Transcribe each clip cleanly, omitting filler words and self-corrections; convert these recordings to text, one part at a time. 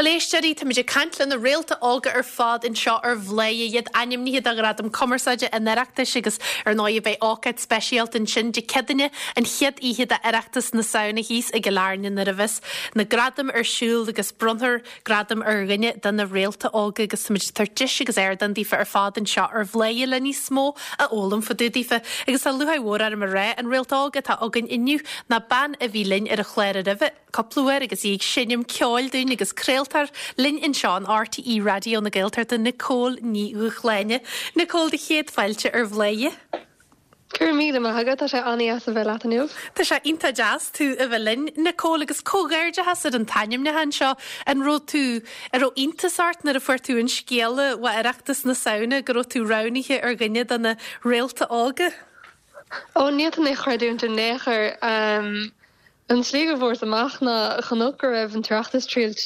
Bhuel, éisteoirí, táimid ag caint le na réalta óga ar fad anseo ar Bhladhaire, iad ainmnithe do Ghradam Cumarsáide an Oireachtais agus ar ndóigh beidh ócáid speisialta ansin Dé Céadaoine, an chéad oíche d'Oireachtas na Samhna thíos i gCill Airne nuair a bheas na gradaim ar siúl agus bronnfar gradam ar dhuine de na réalta óga agus táimid ag tabhairt deis agus ardán daofa ar fad anseo ar Bhladhaire le níos mó a fhoghlaim fá dtaobh daofa. Agus tá lúcháir mhór orm a rá, an réalt óg atá againn inniu ná bean a bhí linn ar an chlár roimhe cúpla uair agus í ag seinm ceoil dúinn agus craoltóir linn anseo in RTÉ Raidió na Gaeltachta, Nicole Ní Dhúshláine. Nicole, do chéad fáilte ar Bhladhaire. Go raibh míle maith agat, tá sé an-dheas a bheith leat inniu. Tá sé iontach deas tú a bheith linn, Nicole, agus comhghairdeachas ar an t-ainmniúchán seo. An raibh tú, an raibh iontas ort nuair a fuair tú an scéala ó Oireachtas na Samhna go raibh tú roghnaithe ar dhuine de na réalta óga? Ó, ní fhéadfainn é a chreidiúint in aon chor. An tslí go bhfuaireas amach ná chonac go raibh an tOireachtas triail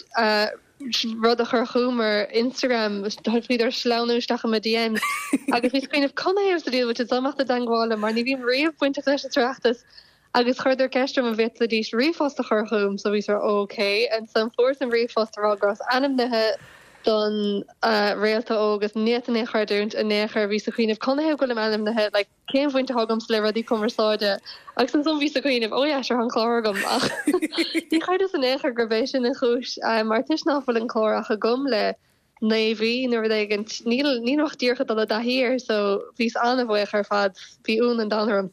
rud a chur chugam ar Instagram, bhíodar ag sleamhnú isteach i mo DMs agus bhíos ag cuimhneamh canathaobh sa diabhal bhfuil siad ag imeacht i dteangmháil liom mar ní bhím riamh bainteach leis an tOireachtas agus chuireadar ceist orm an bhféadfaidís ríomhphost a chur chugam so bhíos ok ansan fuaireas an ríomhphost a rá go rabhas ainmnithe don réalta óg agus ní fhéadfainn é a chreidiúint in aon chor bhíos ag cuimhneamh canathaobh go bhfuilim ainmnithe like cén bhaint atá agamsa le rudaí cumarsáide? Agus ansan bhíos ag cuimhneamh, oh yeah, sure, tá an clár agam ach ní chreideas in aon chor gurb é sin an chúis mar toisc ná fuil an clár ach agam le 9 mhí nó rud éigint, níl, nílim ach díreach ag dul i dtaithí air so bhíos an-bhuíoch ar fad, bhí ionadh an domhain orm.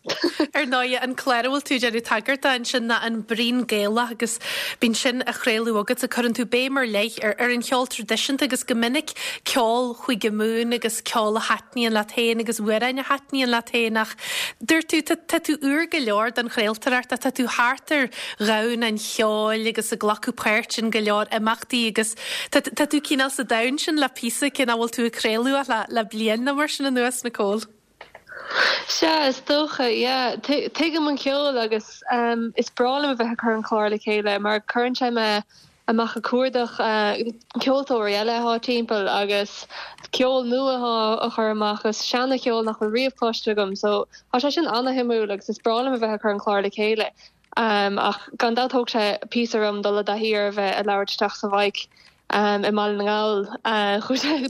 Ar ndóigh, an clár a bhfuil tú ag déanamh tagairt dó ansin ná an Braon Gaelach agus bíonn sin á chraoladh agatsa, cuireann tú béim ar leith ar ar an cheol traidisiúnta agus go minic ceol Chúige Mumhan agus ceol a thaitníonn leat féin agus amhráin a thaitníonn leat féin ach dúirt tú, tá tú úr go leor don chraoltóireacht ach tá tú thart ar dhomhan an cheoil agus ag glacadh páirt in go leor imeachtaí agus tá tá tú cineál sa domhan sin le píosa cé nach bhfuil tú ag craoladh ach le le bliain nó mar sin anuas, Nicole. Sea, is dócha, yeah. Tuigim an ceol agus is breá liom a bheith ag cur an clár le chéile mar cuireann sé mé amach ag cuardach ceoltóirí eile atá timpeall agus ceol nua atá á chur amach agus seana-cheol nach bhfuil riamh cloiste agam so tá sé sin ana-shuimiúil agus is breá liom a bheith ag cur an clár le chéile. Ach gan dabht thóg sé píosa orm dul i dtaithí ar a bheith ag labhairt isteach sa mhic i mBaile na nGall.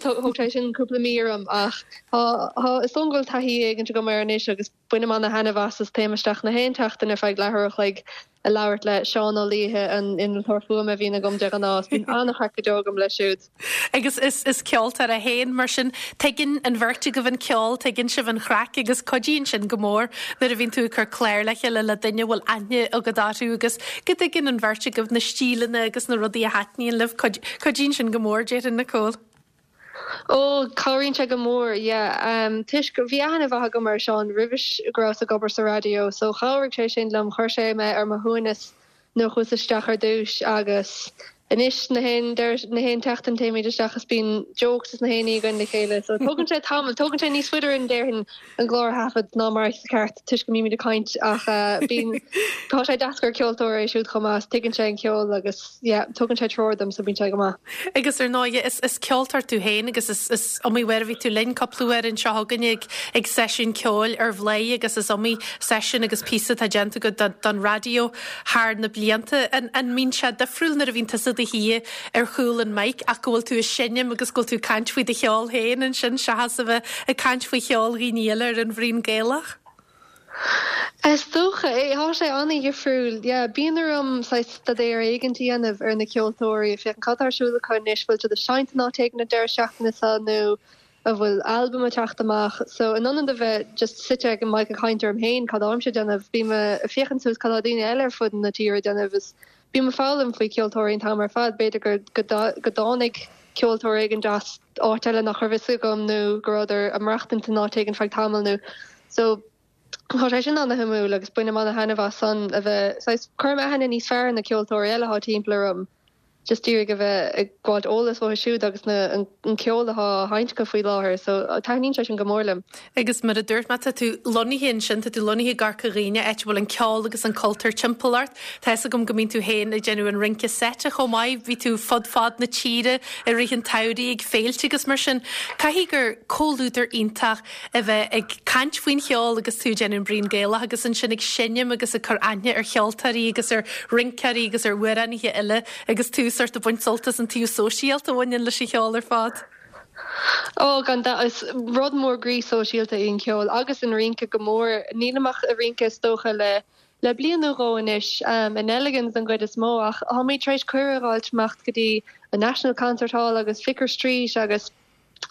Thóg sé sin cúpla mí orm ach tá is dóigh go bhfuil taithí éigint agam air anois agus bainim ana-thaitneamh as is téim isteach na haon tseachtain ar feadh leathuair a chloig ag labhairt le Seán Ó Laoithe, an innealtóir fuaime a bhíonn agam de ghnáth. Bíonn an-chraic go deo agam leis siúd. Agus is is ceoltóir é féin, mar sin tuigeann an bheirt agaibh an ceol, tuigeann sibh an chraic agus cuidíonn sin go mór nuair a bhíonn tú ag cur clár le chéile le duine a bhfuil aithne agat orthu agus go dtuigeann an bheirt agaibh na stíleanna agus na rudaí a thaitníonn libh. Cuidíonn sin go mór, déarfainn, Nicole. Ó, cabhraíonn sé go mór, yeah. Toisc, bhí aithne mhaith agam ar Seán roimhis go rabhas ag obair sa raidió, so chabhraigh sé sin liom, chuir sé mé ar mo shuaimhneas nuair a chuas isteach ar dtúis agus anois na haon deireadh, na haon tseachtain téimid isteach is bíonn jokes is na haon ní againn le chéile, so tógann sé tamall, tógann sé níos faide orainn déarfainn an clár a thaifead ná mar is ceart toisc go mbímid ag caint ach bíonn, tá sé deas gur ceoltóir é siúd chomh maith is tuigeann sé an ceol agus yeah tugann sé treoir dom so bíonn sé go maith. Agus ar ndóigh is is ceoltóir tú féin agus is is iomaí uair a bhí tú linn cúpla uair anseo againne ag ag seisiún ceoil ar Bhladhaire agus is iomaí seisiún agus píosa atá déanta agat don don raidió thar na blianta. An an mbíonn sé difriúil nuair a bhíonn tusa i do shuí ar chúl an mic ach go bhfuil tú ag seinm agus go bhfuil tú ag caint faoi do cheol féin ansin seachas a bheith ag caint faoi cheol dhaoine eile ar an Bhraon Gaelach? Is dócha é. Tá sé an-dhifriúil. Yeah, bíonn orm saghas staidéar éigint a dhéanamh ar na ceoltóirí, féachaint cad tá ar siúl acu anois, bhfuil siad ag seinnt in áit éigin an deireadh seachtaine seo nó an bhfuil albam ag teacht amach. So in ionad a bheith just suite ag an mic ag caint orm féin cad táimse ag déanamh, bím ag féachaint suas cad tá daoine eile ar fud na tíre ag déanamh is Bím ag foghlaim faoi cheoltóirí an t-am ar fad. B'fhéidir go dtáinig ceoltóir éigin as áit eile nach raibh fhios agam nó go rabhadar ag maireachtaint in áit éigin feadh tamaill nó so tá sé sin ana-shuimiúil agus bainim ana-thaitneamh as san a bheith saghas cuirim aithne níos fearr ar na ceoltóirí eile atá timpeall orm just d'iarraidh a bheith ag gabháilt eolas uathu siúd agus na an ceol atá á sheinnt acu faoi láthair so taitníonn sé sin go mór liom. Agus mar a dúirt mé, tá tú lonnaithe ansin, tá tú lonnaithe i gCorca Dhuibhne, áit a bhfuil an ceol agus an cultúr timpeall ort. Tá fhios agam go mbíonn tú féin ag déanamh an rince seite chomh maith, bhí tú fud fad na tíre i rith an tsamhraidh ag féilte agus mar sin. Caithfidh gur comhluadar iontach a bheith ag caint faoin cheol agus tú ag déanamh an Braon Gaelach agus ansin ag seinm agus ag cur aithne ar cheoltóirí agus ar rinceoirí agus ar amhránaithe eile agus tú. sort ag baint sult as an taobh sóisialta a bhaineann leis an cheol ar fad. Ó, gan dabht, is rud mór groí sóisialta í an ceol agus an rince go mór. Nílim ach ag rince is dócha le le bliain nó dhó anois, i Nelligan's den gcuid is mó, ach táimid tar éis cuireadh a dh'fháilt imeacht go dtí an National Concert Hall agus Vicar Street agus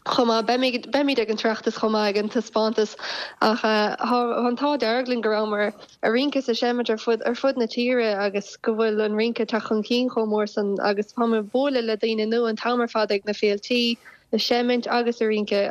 chomh maith. Beimid, beimid ag an tOireachtas chomh maith ag an taispeántas ach tá an t-ádh dearg linn go rabhamar ag rince is ag seimint ar fud, ar fud na tíre agus go bhfuil an rince ag teacht chun cinn chomh mór san agus táim ag bualadh le daoine nua an t-am ar fad ag na féiltí, ag seimint agus ag rince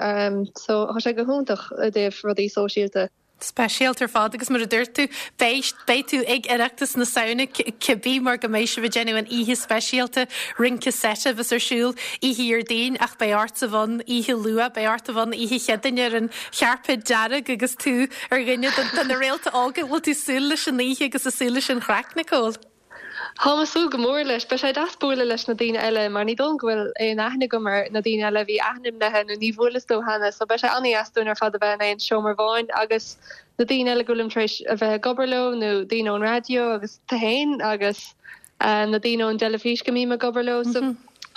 so tá sé go hiontach i dtaobh rudaí sóisialta. Speisialta ar fad agus mar a dúirt tú, beidh, beidh tú ag Oireachtas na Samhna cibé mar go mbeidh sibh ag déanamh an oíche speisialta rince seit a bheas ar siúl oíche Dhéardaoin ach beidh ort a bheith ann oíche luath, beidh ort a bheith ann oíche Chéadaoine ar an chairpéad dearg agus tú ar dhuine de na réalta óga. Bhfuil tú ag súil leis an oíche agus ag súil leis an chraic, Nicole? Táim ag súil go mór leis. Beidh sé deas bualadh leis na daoine eile mar ní dóigh liom go bhfuil aon aithne agam ar na daoine eile a bhí ainmnithe nó ní bhuaileas leo cheana so beidh sé an-dheas dúinn ar fad a bheith in aon seomra amháin agus na daoine eile go bhfuilim tar éis a bheith ag obair leo nó daoine ón raidió agus tú féin agus na daoine ón dteilifís go mbím ag obair leo so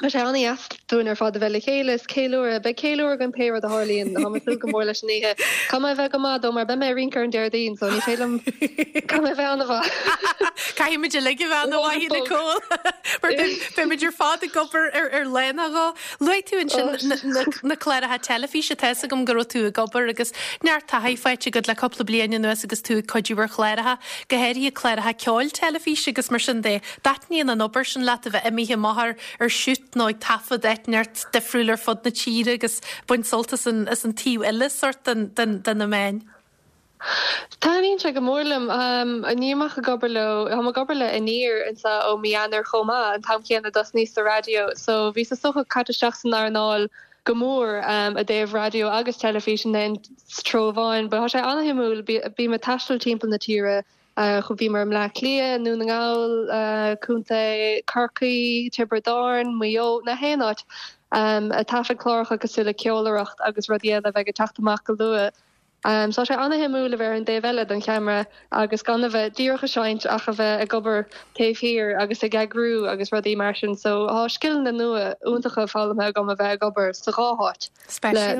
Beidh sé an-dheas dúinn ar fad a bheith le chéile is ceiliúradh. Beidh ceiliúradh againn pé rud a tharlaíonn. Táim ag súil go mór leis an oíche. Caithfidh mé a bheith go maith dó mar beidh mé ag rince ar an Déardaoin so ní féidir liom, caithfidh mé a bheith an-mhaith. Caithfidh muid uilig a bheith an-mhaith Nicole mar beidh muid ar fad ag obair ar ar lá nó dhó. Luaigh tú ansin na cláracha teilifíse, tá fhios agam go raibh tú ag obair agus neart taithí faighte agat le cúpla bliain anuas agus tú ag cuidiú ar chláracha, go háirithe cláracha ceoil teilifíse agus mar sin de. Dtaitníonn an obair sin leat, a bheith imithe amach ar ar shoot nó ag taifead áit inteacht difriúil ar fud na tíre agus baint sult as an as an taobh eile sort den den de na meáin? Taitníonn sé go mór liom. Nílim ach ag obair leo, táim ag obair le Aniar anseo ó mí Eanáir chomh maith, an t-am céanna a dtosnaíos sa raidió. So bhíos is dócha caite isteach san earnáil go mór i dtaobh raidió agus teilifís in aon treo amháin. But tá sé an-shuimiúil, bím ag taisteal timpeall na tíre Bhíomar i mBleá Cliath, i nDún na nGall, Contae Chorcaí, Tiobraid Árann, Maigh Eo, na haon áit, ag taifead cláracha cosúil le Ceolaireacht agus rudaí eile a bheidh ag teacht amach go luath. So tá sé an-shuimiúil a bheith ar an dtaobh eile den cheamara agus gan a bheith díreach ag seinnt ach a bheith ag obair taobh thiar agus ag eagrú agus rudaí mar sin. So tá scileanna nua iontacha foghlamtha agam a bheith ag obair sa dhá háit.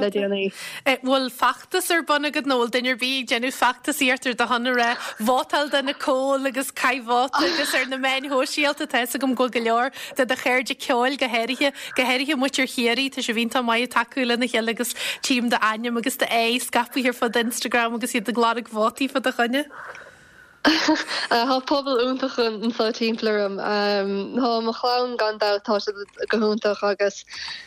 le déanaí. Bhfuil feachtas ar bun agat nó bhfuil duine ar bith ag déanamh feachtasaíocht ar do shon ag rá vótáil do Nicole agus caith vóta agus ar na meáin shóisialta tá fhios agam go bhfuil go leor de do chairde ceoil go háirithe, go háirithe muintir Chiarraí, tá sibh iontach maith ag tacú lena chéile agus tchím d'ainm agus d'aghaidh scaipthe ar fud Instagram agus iad ag lorg vótaí fá do choinne. Tá pobal iontach anseo timpeall orm. Tá mo chlann gan dabht, tá siad go hiontach agus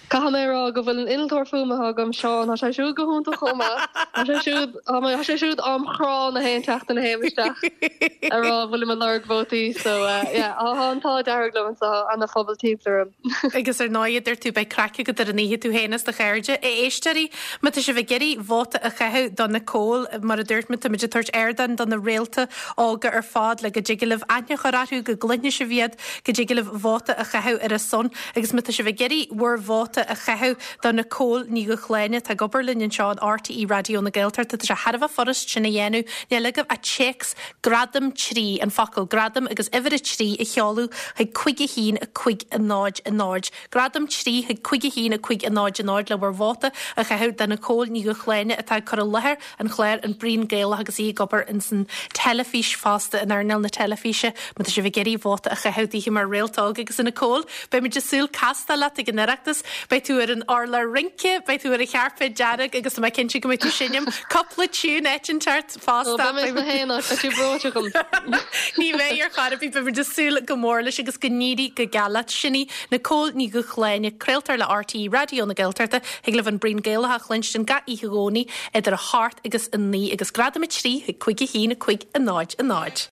caithfidh mé a rá go bhfuil an innealtóir fuaime atá agam, Seán, tá sé siúd go hiontach chomh maith. Tá sé siúd, tá sé siúd ám chrá na haon tseachtain a théim isteach a rá bhfuilim ag lorg vótaí so yeah, tá an t-ádh dearg liom anseo, ana-phobal timpeall orm. Agus ar ndóigh, a dúirt tú, beidh craic agat ar an oíche, tú féin is do chairde. A éisteoirí, má tá sibh ag iarraidh vóta a chaitheamh do Nicole, mar a dúirt muid, táimid ag tabhairt ardán do na réalta óga ar fad le go dtig libh aithne a chur orthu, go gcluinfidh sibh iad, go dtig libh vóta a chaitheamh ar a son. Agus má tá sibh ag iarraidh bhur vóta a chaitheamh do Nicole Ní Dhúshláine, atá ag obair linn anseo in RTÉ Raidió na Gaeltachta, tá sé thar a bheith furast sin a dhéanamh. Níl agaibh ach téacs Gradam 3, an focal Gradam agus uimhir 3 a sheoladh chuig 5 1 5 0 0. Gradam 3 chuig 5 1 5 0 0 le bhur vóta a chaitheamh do Nicole Ní Dhúshláine atá ag cur i láthair an chláir An Braon Gaelach agus í ag obair ins an teilifís fosta, in earnáil na teilifíse. Má tá sibh ag iarraidh vóta a chaitheamh daoithe mar réalt óg agus a Nicole, beidh muid ag súil castáil leat ag an Oireachtas. Beidh tú ar an urlár rince, beidh tú ar an chairpéad dearg agus tá mé cinnte go mbeidh tú ag seinm cúpla tiún áit inteacht. fosta. Ó, beidh mé sna haon áit, beidh tú breoite agam. Ní bheidh ar chor ar bith, beidh muid ag súil go mór leis agus go n-éirí go geal leat. Sin í Nicole Ní Dhúshláine, craoltóir le RTÉ Raidió na Gaeltachta. Thig libh an Braon Gaelach a chluinstin gach oíche Dhomhnaigh idir a hocht agus a 9 agus Gradam 3 chuig 5 1 5 0 0.